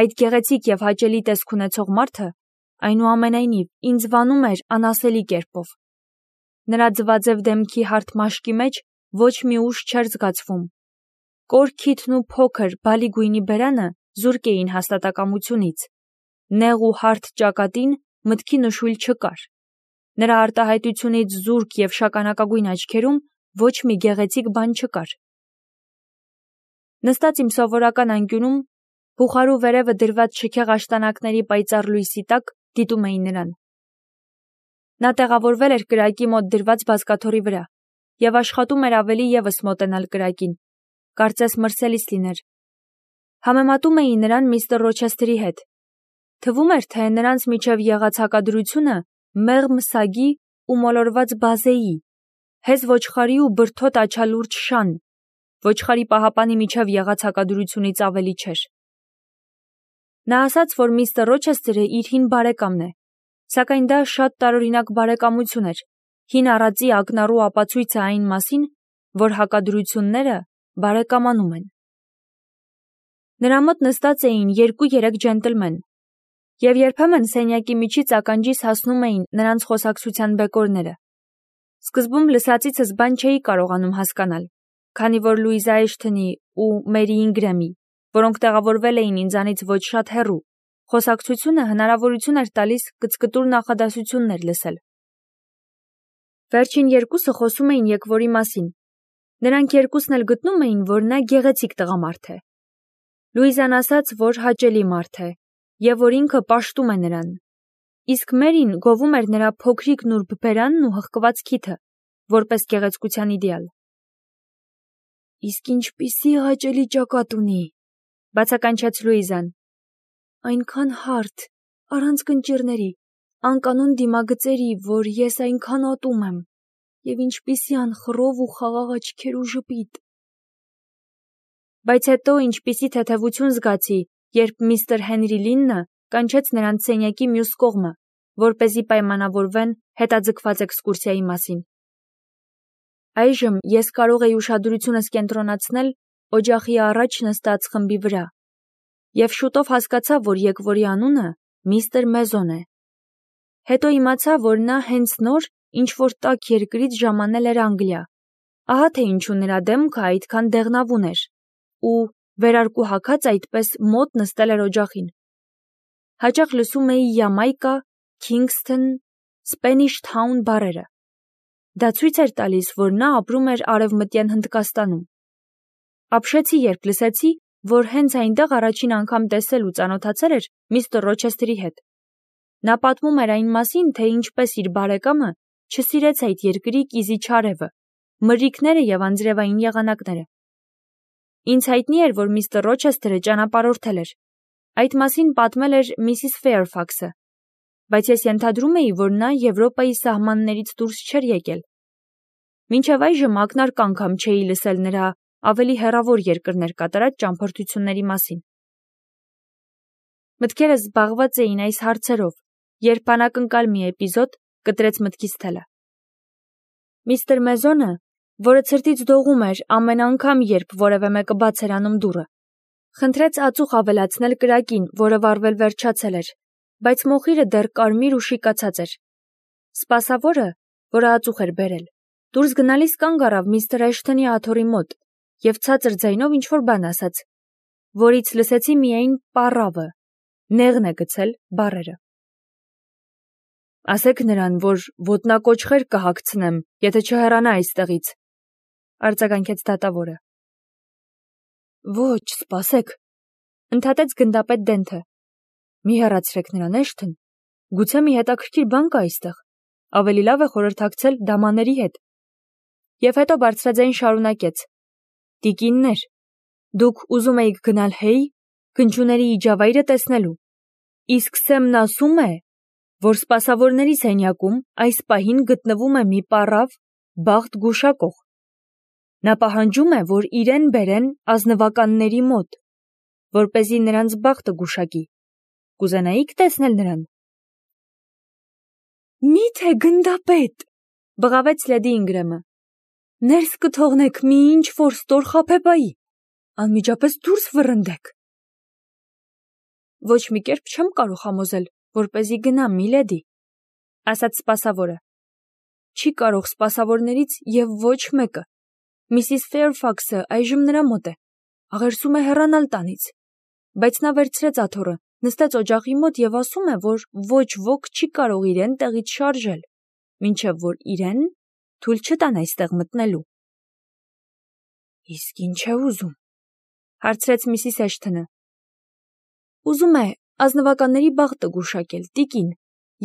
Այդ գեղեցիկ և հաճելի տեսք ունեցող մարդը այնուամենայնիվ ինձ վանում էր անասելի կերպով։ Նրա ձվաձև դեմքի հարթ մաշկի մեջ ոչ մի ուժ չէր զգացվում։ Կոր քիթն ու փոքր բալի գույնի բերանը զուրկ էին հաստատակամությունից։ Նեղ ու հարթ ճակատին մտքի նշույլ չկար։ Նրա արտահայտությունից զուրկ և շագանակագույն աչքերում ոչ մի գեղեցիկ բան չկար։ Նստած իմ սովորական անկյունում, բուխարու վերևը դրված շքեղ աշտանակների պայծառ լույսի տակ դիտում էի նրան։ Նա տեղավորվել էր կրակի մոտ դրված բազկաթոռի վրա և աշխատում էր ավելի ևս մոտենալ կրակին, կարծես մրսելիս լիներ։ Համեմատում էի նրան միստր Ռոչեսթերի հետ։ Թվում էր, թե նրանց միջև եղած հակադրությունը մեղմ սագի ու մոլորված բազեի, հեզ ոչխարի ու բրդոտ աչալուրջ շան, ոչխարի պահապանի միջև եղած հակադրությունից ավելի չէր։ Նա ասաց, որ միստր Ռոչեսթերը իր հին բարեկամն է, սակայն դա շատ տարօրինակ բարեկամություն էր, հին առածի ակնառու ապացույցը այն մասին, որ հակադրությունները բարեկամանում են։ Նրա մոտ նստած էին 2-3 ջենտլմեն, և երբեմն սենյակի միջից ականջիս հասնում էին նրանց խոսակցության բեկորները։ Սկզբում լսածիցս բան չէի կարողանում հասկանալ, քանի որ Լուիզա Էշթոնի ու Մերի Ինգրեմի, որոնք տեղավորվել էին ինձանից ոչ շատ հեռու, խոսակցությունը հնարավորություն էր տալիս կծկտուր նախադասություններ լսել։ Վերջին երկուսը խոսում էին եկվորի մասին։ Նրանք երկուսն էլ գտնում էին, որ նա գեղեցիկ տղամարդ է։ Լուիզան ասաց, որ հաճելի մարդ է, և որ ինքը պաշտում է նրան։ Իսկ Մերին գովում էր նրա փոքրիկ նուրբ բերանն ու հղկված քիթը, որպես գեղեցկության իդեալ։ Իսկ ինչպիսի հաճելի ճակատ ունի, բացականչեց Լուիզան։ Այնքան հարթ, առանց կնճիռների, անկանոն դիմագծերի, որ ես այնքան ատում եմ, և ինչպիսի անխռով ու խաղաղ աչքեր ու ժպիտ։ Բայց հետո ինչպիսի թեթևություն զգացի, երբ միստր Հենրի Լիննը կանչեց նրանց սենյակի մյուս կողմը, որպեսզի պայմանավորվեն հետաձգված էքսկուրսիայի մասին։ Այժմ ես կարող էի ուշադրությունս կենտրոնացնել օջախի առաջ նստած խմբի վրա, և շուտով հասկացա, որ եկվորի անունը միստր Մեզոն է։ Հետո իմացա, որ նա հենց նոր ինչ-որ տաք երկրից ժամանել էր Անգլիա, ահա թե ինչու նրա դեմքը այդքան դեղնավուն էր, ու վերարկու հագած այդպես մոտ նստել էր օջախին։ Հաճախ լսում էի Յամայկա, Քինգսթոն, Սպենիշ Թաուն բառերը։ Դա ցույց էր տալիս, որ նա ապրում էր Արևմտյան Հնդկաստանում։ Ապշեցի, երբ լսեցի, որ հենց այնտեղ առաջին անգամ տեսել ու ծանոթացել էր միստր Ռոչեսթերի հետ։ Նա պատմում էր այն մասին, թե ինչպես իր բարեկամը չսիրեց այդ երկրի կիզիչ արևը, մրրիկները և անձրևային եղանակները։ Ինձ հայտնի էր, որ միստր Ռոչեսթերը ճանապարհորդել էր։ Այդ մասին պատմել էր Միսիս Ֆեյրֆաքսը, բայց ես ենթադրում էի, որ նա Եվրոպայի սահմաններից դուրս չէր եկել։ Մինչև այժմ ակնարկ անգամ չէի լսել նրա ավելի հեռավոր երկրներ կատարած ճամփորդությունների մասին։ Մտքերս զբաղված էին այս հարցերով, երբ անակնկալ մի էպիզոդ կտրեց մտքիս թելը։ Միստր Մեզոնը, որը ցրտից դողում էր ամեն անգամ, երբ որևէ մեկը բաց էր անում դուռը, խնդրեց ածուխ ավելացնել կրակին, որը վառվել վերջացել էր, բայց մոխիրը դեռ կարմիր ու շիկացած էր։ Սպասավորը, որը ածուխ էր բերել, դուրս գնալիս կանգ առավ միստր Էշթոնի աթոռի մոտ և ցածր ձայնով ինչ-որ բան ասաց, որից լսեցի միայն պառավը, նեղն է գցել բառերը։ Ասեք նրան, որ ոտնակոչխեր կհագցնեմ, եթե չհեռանա այստեղից, արձագանքեց դատավորը։ Ոչ, սպասեք, ընդհատեց գնդապետ Դենթը։ Մի հեռացրեք նրան, Էշթոն, գուցե մի հետաքրքիր բան կա այստեղ, ավելի լավ է խորհրդակցել դամաների հետ։ Եվ հետո բարձրաձայն շարունակեց. Տիկիններ, դուք ուզում էիք գնալ Հեյ, գնչուների իջավայրը տեսնելու, իսկ Սեմն ասում է, որ սպասավորների սենյակում այս պահին գտնվում է մի պառավ, բախտ գուշակող։ Նա պահանջում է, որ իրեն բերեն ազնվականների մոտ, որպեսզի նրանց բախտը գուշակի։ Կուզենայիք տեսնել նրան։ Մի՞թե գնդապետ, բղավեց լեդի Ինգրեմը։ Ներս կթողնեք մի ինչ-որ ստոր խաբեբայի, անմիջապես դուրս վռնդեք։ Ոչ մի կերպ չեմ կարող համոզել, որպեսզի գնամ, միլեդի, ասաց սպասավորը։ Չի կարող սպասավորներից և ոչ մեկը։ Միսիս Ֆեյրֆաքսը այժմ նրա մոտ է, աղերսում է հեռանալ տանից, բայց նա վերցրեց աթոռը, նստեց օջախի մոտ և ասում է, որ ոչ ոք չի կարող իրեն տեղից շարժել, մինչև որ իրեն թույլ չտան այստեղ մտնելու։ Իսկ ինչ է ուզում, հարցրեց Միսիս Էշթոնը։ Ուզում է ազնվականների բախտը գուշակել, տիկին,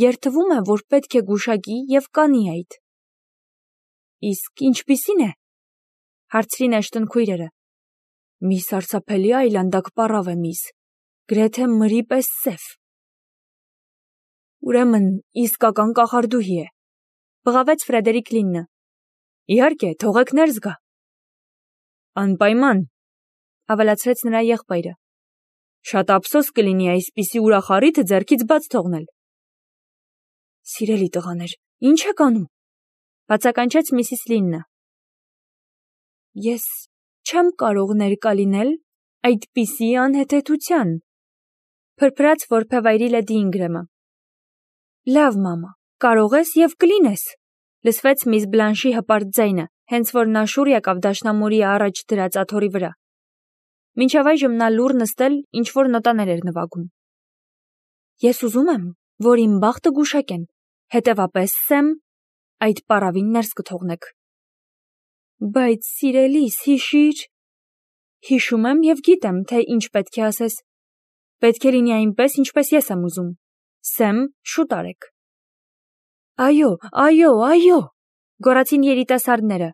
երդվում է, որ պետք է գուշակի և կանի այդ։ Իսկ ինչպիսին է, հարցրին Էշթոն քույրերը։ Մի սարսափելի այլանդակ պառավ է, միս, գրեթե մրի պես սև։ Ուրեմն իսկական կախարդուհի է, բղավեց Ֆրեդերիկ Լիննը։ Իհարկե, թողեք ներս գա։ Անպայման, ավելացրեց նրա եղբայրը։ Շատ ափսոս կլինի այսպիսի ուրախ առիթը ձեռքից բաց թողնել։ Սիրելի տղաներ, ինչ եք անում, բացականչեց Միսիս Լիննը։ Ես չեմ կարող ներկա լինել այդպիսի անհեթեթության, փրփրաց որբևայրի Լեդի Ինգրեմը։ Լավ, մամա, կարող ես և կլինես, լսվեց միս Բլանշի հպարտ ձայնը, հենց որ նա շուռ եկավ դաշնամուրի առաջ դրած աթոռի վրա։ Մինչև այժմ նա լուռ նստել ինչ-որ նոտաներ էր նվագում։ Ես ուզում եմ, որ իմ բախտը գուշակեն, հետևապես Սեմ, այդ պառավին ներս կթողնեք։ Բայց սիրելիս, հիշիր։ Հիշում եմ և գիտեմ, թե ինչ պետք է ասես։ Պետք է լինի այնպես, ինչպես ես եմ ուզում։ Սեմ, շուտ արեք։ Այո, այո, այո, գոռացին երիտասարդները,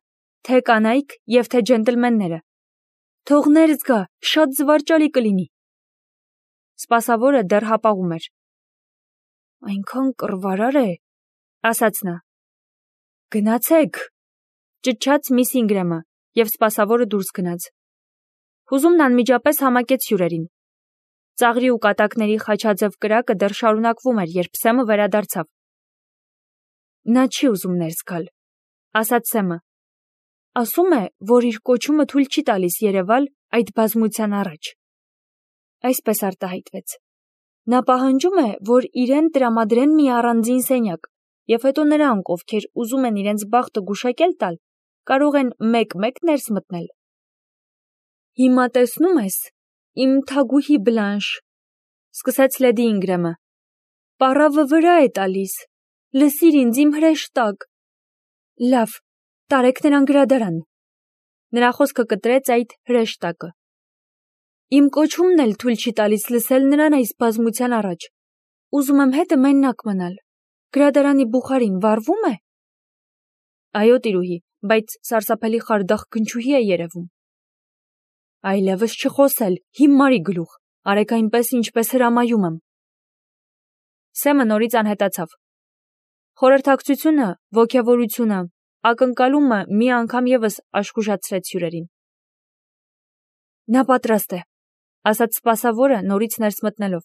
թե կանայք և թե ջենտլմենները։ Թող ներս գա, շատ զվարճալի կլինի։ Սպասավորը դեռ հապաղում էր։ Այնքան կռվարար է, ասաց նա։ Գնացեք, ճչաց միս Ինգրեմը, և սպասավորը դուրս գնաց։ Հուզումն անմիջապես համակեց հյուրերին։ Ծաղրի ու կատակների խաչաձև կրակը դեռ շարունակվում էր, երբ Սեմը վերադարձավ։ Նա չի ուզում ներս գալ, ասաց Սեմը։ Ասում է, որ իր կոչումը թույլ չի տալիս երևալ այդ բազմության առաջ։ Այսպես արտահայտվեց։ Նա պահանջում է, որ իրեն տրամադրեն մի առանձին սենյակ, և հետո նրանք, ովքեր ուզում են իրենց բախտը գուշակել տալ, կարող են մեկ-մեկ ներս մտնել։ Հիմա տեսնում ես, իմ թագուհի Բլանշ, սկսեց Լեդի Ինգրեմը, պառավը վրա է տալիս, լսիր ինձ, իմ հրեշտակ։ Լավ, տարեք նրան գրադարան։ Նրա խոսքը կտրեց այդ հրեշտակը։ Իմ կոչումն էլ թույլ չի տալիս լսել նրան այս բազմության առաջ։ Ուզում եմ հետը մենակ մնալ։ Գրադարանի բուխարին վառվում է։ Այո, տիրուհի, բայց սարսափելի խարդախ գնչուհի է երևում։ Այլևս չխոսել, հիմարի գլուխ, արեք այնպես, ինչպես հրամայում եմ։ Սեմը նորից անհետացավ։ Խորհրդակցությունը, ոգևորությունը, ակնկալումը մի անգամ ևս աշխուժացրեց հյուրերին։ Նա պատրաստ է, ասաց սպասավորը նորից ներս մտնելով։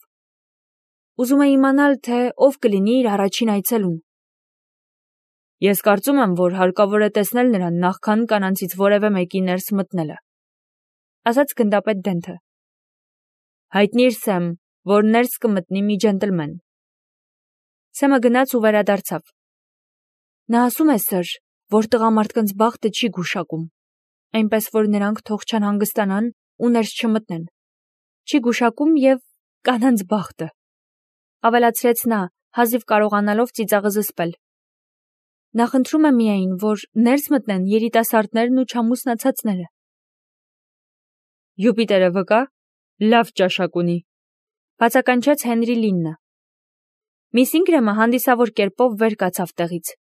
Ուզում է իմանալ, թե ով կլինի իր առաջին այցելուն։ Ես կարծում եմ, որ հարկավոր է տեսնել նրան նախքան կանանցից որևէ մեկի ներս մտնելը, ասաց գնդապետ Դենթը։ Հայտնիր Սեմ, որ ներս կմտնի մի ջենտլմեն։ Սեմը գնաց ու վերադարձավ։ Նա ասում է, սըր, որ տղամարդկանց բախտը չի գուշակում, այնպես որ նրանք թող չանհանգստանան ու ներս չմտնեն։ Չի գուշակում և կանանց բախտը, ավելացրեց նա, հազիվ կարողանալով ծիծաղը զսպել։ Նա խնդրում է միայն, որ ներս մտնեն երիտասարդներն ու չամուսնացածները։ Յուպիտերը վկա, լավ ճաշակ ունի, բացականչեց Հենրի Լիննը։ Միս Ինգրեմը հանդիսավոր կերպով վեր կացավ տեղից։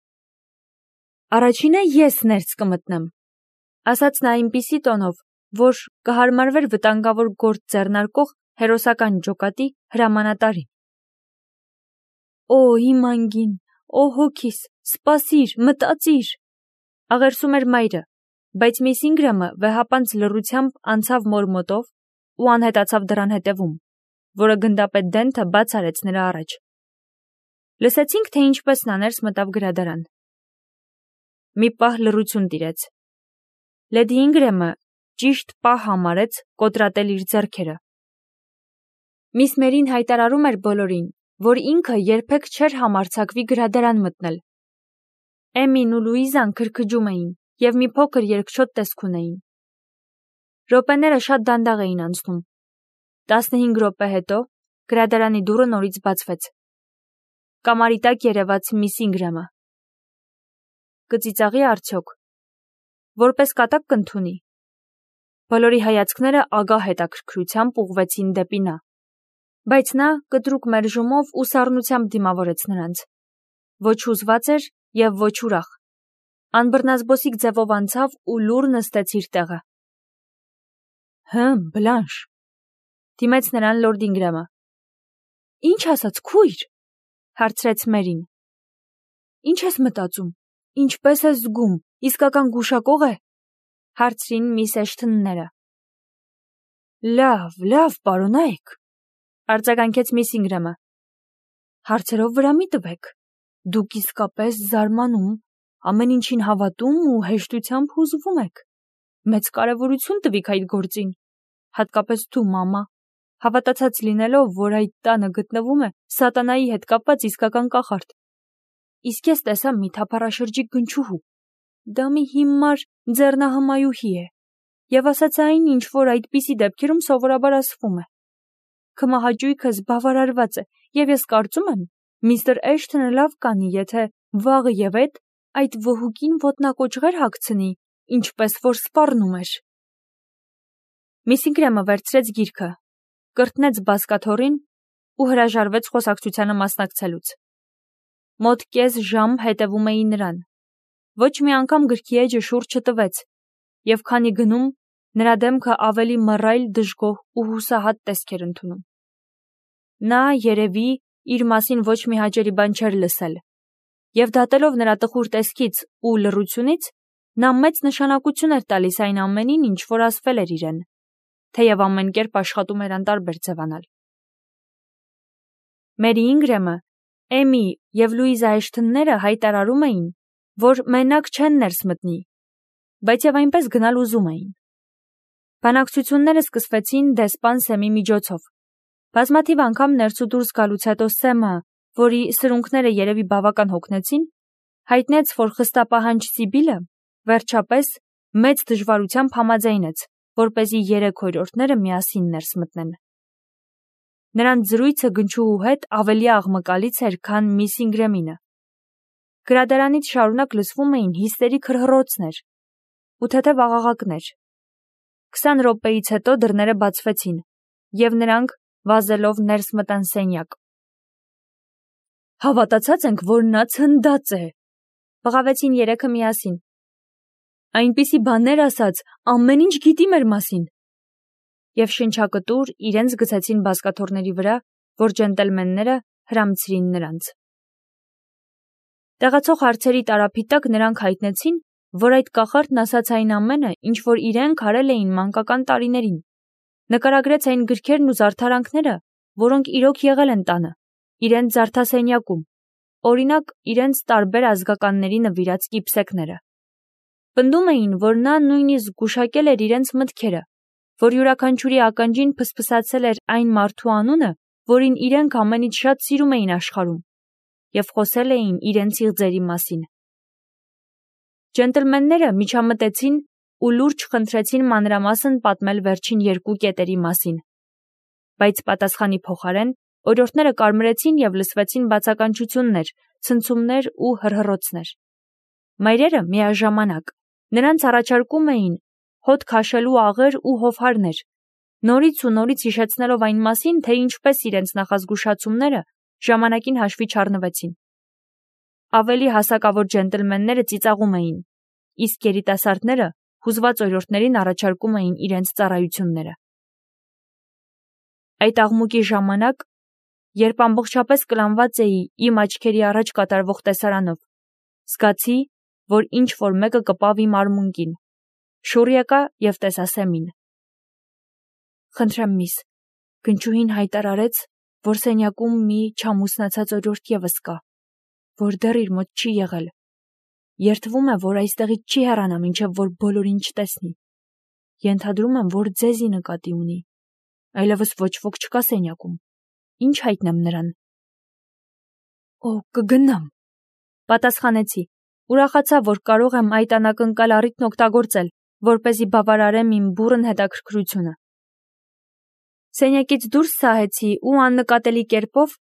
Առաջինը ես ներս կմտնեմ, ասաց նա այնպիսի տոնով, որ կհարմարվեր վտանգավոր գործ ձեռնարկող հերոսական ջոկատի հրամանատարին։ Օ, իմ անգին, օ հոգիս, սպասիր, մտածիր, աղերսում էր մայրը, բայց միս Ինգրեմը վեհապանց լռությամբ անցավ մոր մոտով ու անհետացավ դռան հետևում, որը գնդապետ Դենթը բաց արեց նրա առաջ։ Լսեցինք, թե ինչպես նա ներս մտավ գրադարան։ Մի պահ լռություն տիրեց։ Լեդի Ինգրեմը ճիշտ պահ համարեց կոտրատել իր ձեռքերը։ Միս Մերին հայտարարում էր բոլորին, որ ինքը երբեք չէր համարձակվի գրադարան մտնել։ Էմին ու Լուիզան քրքջում էին և մի փոքր երկչոտ տեսք ունեին։ Րոպեները շատ դանդաղ էին անցնում։ 15 րոպե հետո գրադարանի դուռը նորից բացվեց։ Կամարի տակ երևաց միս Ինգրամը։ Կծիծաղի արդյոք։ Որպես կատակ կընդունի։ Բոլորի հայացքները ագահ հետաքրքրությամբ ուղղվեցին դեպի նա։ Բայց նա կտրուկ մերժումով ու սառնությամբ դիմավորեց նրանց։ Ոչ հուզված էր և ոչ ուրախ։ Անբռնազբոսիկ ձևով անցավ ու լուռ նստեց իր տեղը։ Բլանշ, դիմեց նրան լորդ Ինգրամը։ Ինչ ասաց, քույր, հարցրեց Մերին։ Ինչ ես մտածում, ինչպես ես զգում, իսկական գուշակող է, հարցրին միս Էշթոնները։ Լավ, պարոնայք, արձագանքեց միս Ինգրամը։ Հարցերով վրա մի տվեք, դուք իսկապես զարմանում, ամեն ինչին հավատում ու հեշտությամբ հուզվում եք։ Մեծ կարևորություն տվիք այդ գործին, հատկապես դու, մամա, հավատացած լինելով, որ այդ տանը գտնվում է սատանայի հետ կապված իսկական կախարդ։ Իսկ ես տեսա մի թափառաշրջիկ գնչուհու։ Դա մի հիմար ձեռնահմայուհի է, և ասաց այն, ինչ որ այդպիսի դեպքերում սովորաբար ասվում է։ Քմահաճույքս բավարարված է, և ես կարծում եմ, միստր Էշթոնը լավ կանի, եթե վաղը և այդ վհուկին ոտնակոճղեր հագցնի, ինչպես որ սպառնում էր։ Միս Ինգրամը վերցրեց գիրքը, կրտնեց բազկաթոռին ու հրաժարվեց խոսակցությանը մասնակցելուց։ Մոտ կես ժամ հետևում էին նրան։ Ոչ մի անգամ գրքի էջը շուրջ չտվեց, և քանի գնում, նրա դեմքը ավելի մռայլ, դժգոհ ու հուսահատ տեսք էր ընդունում։ Նա, երևի, իր մասին ոչ մի հաճելի բան չէր լսել, և դատելով նրա տխուր տեսքից ու լռությունից, նա մեծ նշանակություն էր տալիս այն ամենին, ինչ որ ասվել էր իրեն, թեև ամեն կերպ աշխատում էր անտարբեր ձևանալ։ Մերի Ինգրամը, Էմի և Լուիզա Էշթոնները հայտարարում էին, որ մենակ չեն ներս մտնի, բայց և այնպես գնալ ուզում էին։ Բանակցությունները սկսվեցին դեսպան Սեմի միջոցով։ Բազմաթիվ անգամ ներս ու դուրս գալուց հետո Սեմը, որի սրունքները երևի բավական հոգնեցին, հայտնեց, որ խստապահանջ Սիբիլը, վերջապես, մեծ դժվարությամբ համաձայնեց, որպեսզի 3 օրիորդները միասին ներս մտնեն։ Նրանց զրույցը գնչուհու հետ ավելի աղմկալից էր, քան միս Ինգրամինը։ Գրադարանից շարունակ լսվում էին հիստերիկ հռհռոցներ ու թեթև աղաղակներ։ 20 րոպեից հետո դռները բացվեցին, և նրանք, վազելով, ներս մտան սենյակ։ Հավատացած ենք, որ նա ցնդած է, բղավեցին երեքը միասին։ Այնպիսի բաներ ասաց, ամեն ինչ գիտի մեր մասին։ Եվ շնչակտուր իրենց գցեցին բազկաթոռների վրա, որ ջենտլմենները հրամցրին նրանց։ Տեղացող հարցերի տարափի տակ նրանք հայտնեցին, որ այդ կախարդն ասաց այն ամենը, ինչ որ իրենք արել էին մանկական տարիներին։ Նկարագրեց այն գրքերն ու զարդարանքները, որոնք իրոք եղել են տանը, իրենց զարդասենյակում, օրինակ, իրենց տարբեր ազգականների նվիրած կիպսեքները։ Պնդում էին, որ նա նույնիսկ գուշակել էր իրենց մտքերը, որ յուրաքանչյուրի ականջին փսփսացել էր այն մարդու անունը, որին իրենք ամենից շատ սիրում էին աշխարհում, և խոսել էին իրենց իղձերի մասին։ Ջենտլմենները միջամտեցին ու լուրջ խնդրեցին մանրամասն պատմել վերջին 2 կետերի մասին, բայց պատասխանի փոխարեն օրիորդները կարմրեցին և լսվեցին բացականչություններ, ցնցումներ ու հռհռոցներ։ Մայրերը միաժամանակ նրանց առաջարկում էին հոտ քաշելու աղեր ու հովհարներ, նորից ու նորից հիշեցնելով այն մասին, թե ինչպես իրենց նախազգուշացումները ժամանակին հաշվի չառնվեցին։ Ավելի հասակավոր ջենտլմենները ծիծաղում էին, իսկ երիտասարդները հուզված օրիորդներին առաջարկում էին իրենց ծառայությունները։ Այդ աղմուկի ժամանակ, երբ ամբողջապես կլանված էի իմ աչքերի առաջ կատարվող տեսարանով, զգացի, որ ինչ-որ մեկը կպավ իմ արմունկին, շուռ եկա և տեսա Սեմին։ Խնդրեմ, միս, գնչուհին հայտարարեց, որ սենյակում մի չամուսնացած օրիորդ ևս կա, որ դեռ իր մոտ չի եղել։ Երդվում է, որ այստեղից չի հեռանա, մինչև որ բոլորին չտեսնի։ Ենթադրում եմ, որ ձեզի նկատի ունի։ Այլևս ոչ ոք չկա սենյակում։ Ինչ հայտնեմ նրան։ Օ, կգնամ, պատասխանեցի, ուրախացա, որ կարող եմ այդ անակնկալ առիթն օգտագործել, որպեսզի բավարարեմ իմ բուռն հետաքրքրությունը։ Սենյակից դուրս սահեցի ու աննկատելի կերպով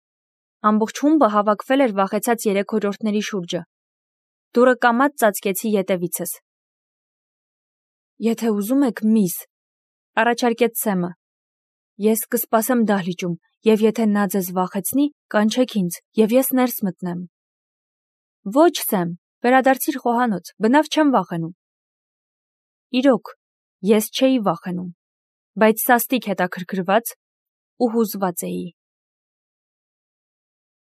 ամբողջ խումբը հավաքվել էր վախեցած 3-րդների շուրջը։ Դուռը կամաց ծածկեցի ետևիցս։ Եթե ուզում եք, միս, առաջարկեց Սեմը, ես կսպասեմ դահլիճում, և եթե նա ձեզ վախեցնի, կանչեք ինձ, և ես ներս մտնեմ։ Ոչ, Սեմ, վերադարձիր խոհանոց, բնավ չեմ վախենում։ Իրոք, ես չէի վախենում, բայց սաստիկ հետաքրքրված ու հուզված էի։